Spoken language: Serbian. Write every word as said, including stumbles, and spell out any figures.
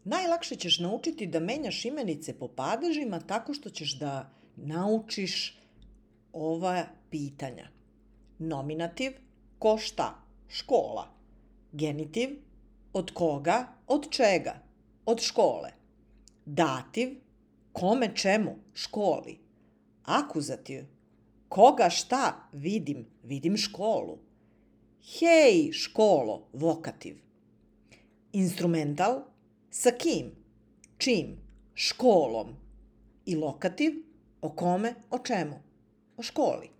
Najlakše ćeš naučiti da menjaš imenice po padežima tako što ćeš da naučiš ova pitanja. Nominativ, ko šta, škola. Genitiv, od koga, od čega, od škole. Dativ, kome čemu, školi. Akuzativ, koga šta vidim, vidim školu. Hej, školo, vokativ. Instrumental, sa kim, čim, školom. I lokativ, o kome, o čemu, o školi.